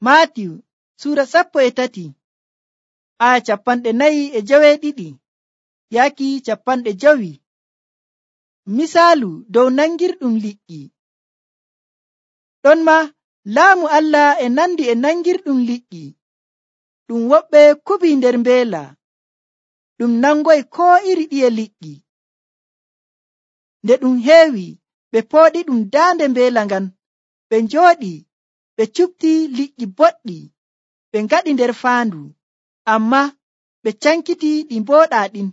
Maatiyu suura 13 aya 42 yaaki 50. Misaalu dow nangirɗum liƴƴi. Ɗon ma laamu Allah e nandi e nangirɗum liƴƴi ɗum woɓɓe kubii nder mbeela, ɗum nangoy koo iri ɗiye liƴƴi. Nde ɗum heewi ɓe pooɗi ɗum daande mbeela ngan, ɓe njooɗi ɓe cupti liƴƴi boɗɗi ɓe ngaɗi nder faandu, amma ɓe cankiti ɗi mbooɗaa ɗin.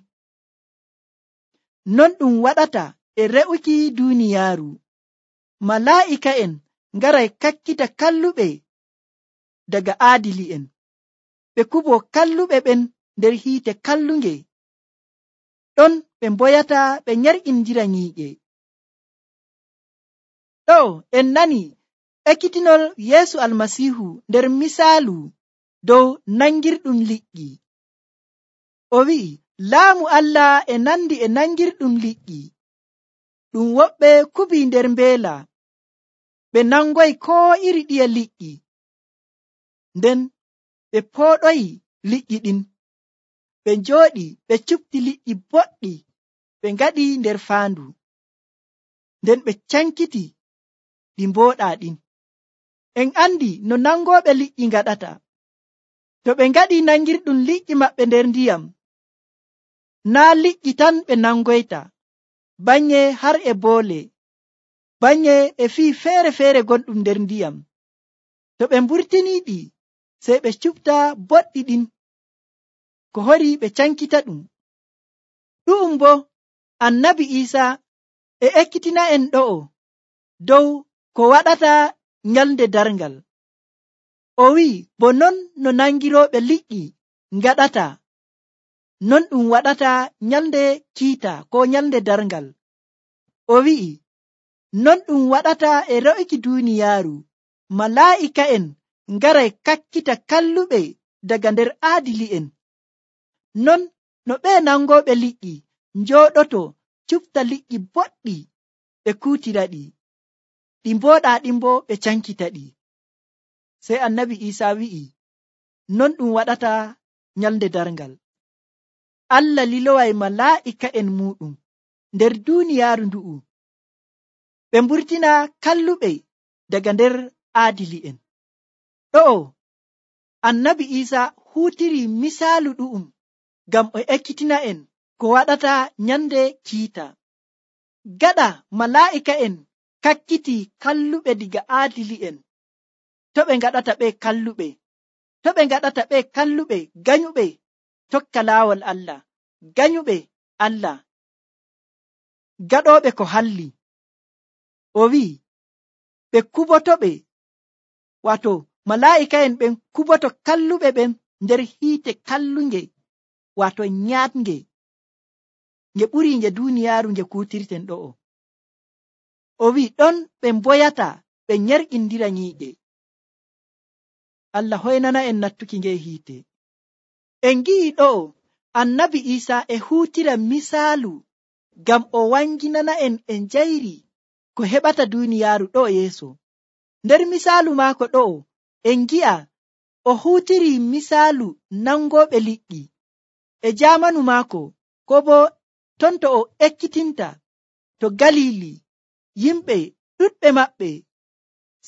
Non ɗum waɗata e re'uki duuniyaaru. Malaa'ika'en ngaray kakkita kalluɓe daga aadili'en, ɓe kuboo kalluɓe ɓen nder hiite kallunge. Ɗon ɓe mboyata ɓe nyarƴindira nyiiƴe. Ɗo en nani ekkitinol Yeesu Almasiihu nder misaalu dow nangirɗum liƴƴi. O wi'i, laamu Allah e nandi e nangirɗum liƴƴi ɗum woɓɓe kubii nder mbeela, ɓe nangoy koo iri ɗiye liƴƴi, nden ɓe pooɗoyi liƴƴi ɗin, ɓe njooɗi ɓe cupti liƴƴi boɗɗi ɓe ngaɗi nder faandu, nden ɓe cankiti ɗi mbooɗaa ɗin. En andi no nangooɓe liƴƴi ngaɗata. To ɓe ngaɗi nangirɗum liƴƴi maɓɓe nder ndiyam, naa liƴƴi tan ɓe nangoyta, banye har e boole, banye e fii feere-feere gonɗum nder ndiyam. To ɓe mburtiniiɗi, sey ɓe cupta boɗɗi ɗin, ko hori ɓe cankita ɗum. Ɗu'um bo Annabi Iisaa e ekkitina'en ɗo'o dow ko waɗata nyalnde darngal. O wi'i, bo non no nangirooɓe liƴƴi ngaɗata, non ɗum waɗata nyalnde kiita ko nyalnde darngal. O wi'i, non ɗum waɗata e re'uki duuniyaaru. Malaa'ika'en ngaray kakkita kalluɓe daga nder aadili'en. Non no ɓee nangooɓe liƴƴi njooɗoto cupta liƴƴi boɗɗi ɓe kuutiraɗi, ɗi mbooɗaa ɗin bo ɓe cankitaɗi. Sey Annabi Iisaa wi'i, non ɗum waɗata nyalnde darngal. Allah liloway malaa'ika'en muuɗum nder duuniyaaru ndu'u, ɓe mburtina kalluɓe daga nder aadili'en. Ɗo'o Annabi Iisaa huutiri misaalu ɗu'um ngam o ekkitina'en ko waɗata nyande kiita. Gaɗa malaa'ika'en kakkiti kalluɓe diga aadili'en, to ɓe ngaɗata ɓe kalluɓe, to ɓe ngaɗata ɓe kalluɓe ganyuɓe tokka laawol Allah, ganyuɓe Allah, gaɗooɓe ko halli. O wi'i ɓe kubotoɓe, wato malaa'ika'en ɓen kuboto kalluɓe ɓen nder hiite kallunge, wato nyaatnge, nge ɓuri nge duuniyaaru nge kuutirten ɗo'o. O wi'i ɗon ɓe mboyata ɓe nyerƴindira nyiiƴe. Allah hoynana en nattuki nge hiite. En ngi'i ɗo'o Annabi Iisaa e huutira misaalu ngam o wanginana en e njayri ko heɓata duuniyaaru ɗo yeeso. Nder misaalu maako ɗo'o en ngi'a o huutiri misaalu nangooɓe liƴƴi e jaamanu maako, ko bo ton to o ekkitinta to Galili, yimɓe ɗuɗɓe maɓɓe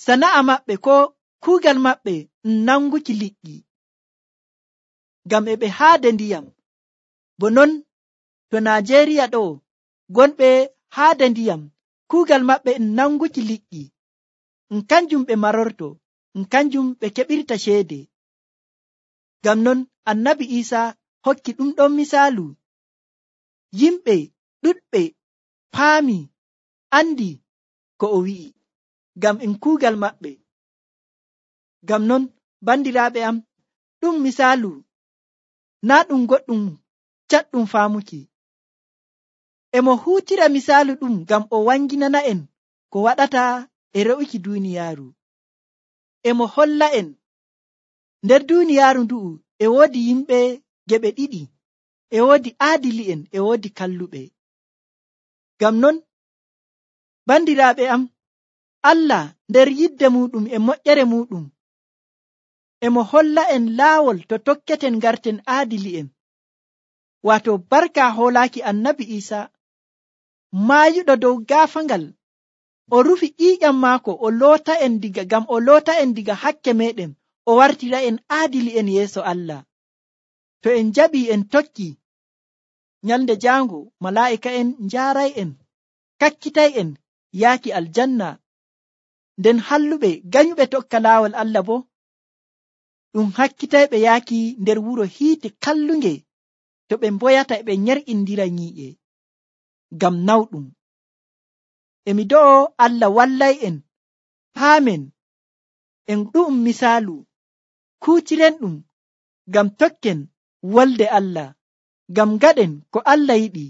sana'a maɓɓe ko kuugal maɓɓe nanguki liƴƴi, ngam e ɓe haade ndiyam. Bo non to Najeriya ɗo gonɓe haade ndiyam, kuugal maɓɓe nanguki liƴƴi, kanjum ɓe marorto, kanjum ɓe keɓirta ceede. Ngam non Annabi Iisaa hokki ɗum ɗon misaalu. Yimɓe ɗuɗɓe paami andi ko o wi'i, ngam kuugal maɓɓe. Ngam non bandiraaɓe am, ɗum misaalu naa ɗum goɗɗum caɗɗum faamuki. Emo huutira misaalu ɗum ngam o wanginana en ko waɗata e re'uki duuniyaaru. Emo holla en nder duuniyaaru ndu'u e woodi yimɓe geɓe ɗiɗi, e woodi aadili'en, e woodi kalluɓe. Ngam non bandiraaɓe am, Allah nder yidde muɗum e moƴƴere muɗum emo holla en laawol to tokketen garten aadili'en. Wato barka hoolaaki annabi Isa maayuɗo dow gaafangal, o rufi ƴiiƴam maako o loota en diga hakke meɗen, o wartira en aadili'en yeeso Allah. To en jaɓii en tokki, nyalnde jaango malaa'ika'en njaaray'en, kakkitay'en yaaki aljanna. Nden halluɓe ganyuɓe tokka laawol Allah bo ɗum hakkitayɓe yaaki nder wuro hiite kallunge, to ɓe mboyata ɓe nyer'indira nyii'e ngam nawɗum. Emi do'o Allah wallay'en paamen en ɗu'um misaalu kuutirenɗum ngam tokken wolde Allah, ngam gaɗen ko Allah yiɗi,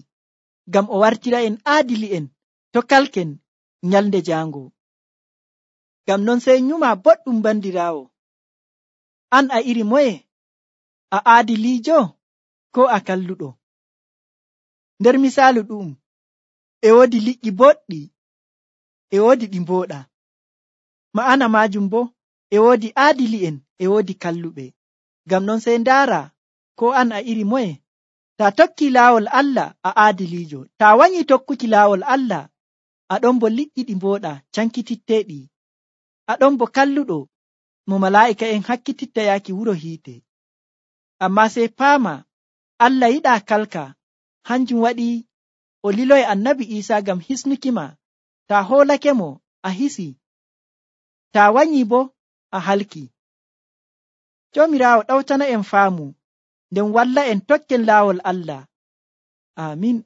ngam o wartira en aadili'en to kalken nyalnde jaango. Ngam non sey nyuma boɗɗum bandiraawo, an a iri moye? A aadiliijo ko a kalluɗo? Nder misaalu ɗum e woodi liƴƴi boɗɗi, e woodi ɗi mbooɗa. Ma'ana maajum bo e woodi aadili'en e woodi kalluɓe. Ngam non sey ndaara ko an a iri moye? Ta tokki laawol Allah a aadiliijo, ta wanyi tokkuki laawol Allah aɗon bo liƴƴi ɗi mbooɗa cankititteeɗi, aɗon bo kalluɗo mo malaa'ika'en hakkititta yaaki wuro hiite. Ammaa sey paama Allah yiɗaa kalka, hanjum waɗi o liloyi annabi Isa ngam hisnukima. Ta hoolake mo a hisi, ta wanyi bo a halki. Joomiraawo ɗawtana en faamu nden walla en tokken laawol Allah. Amin.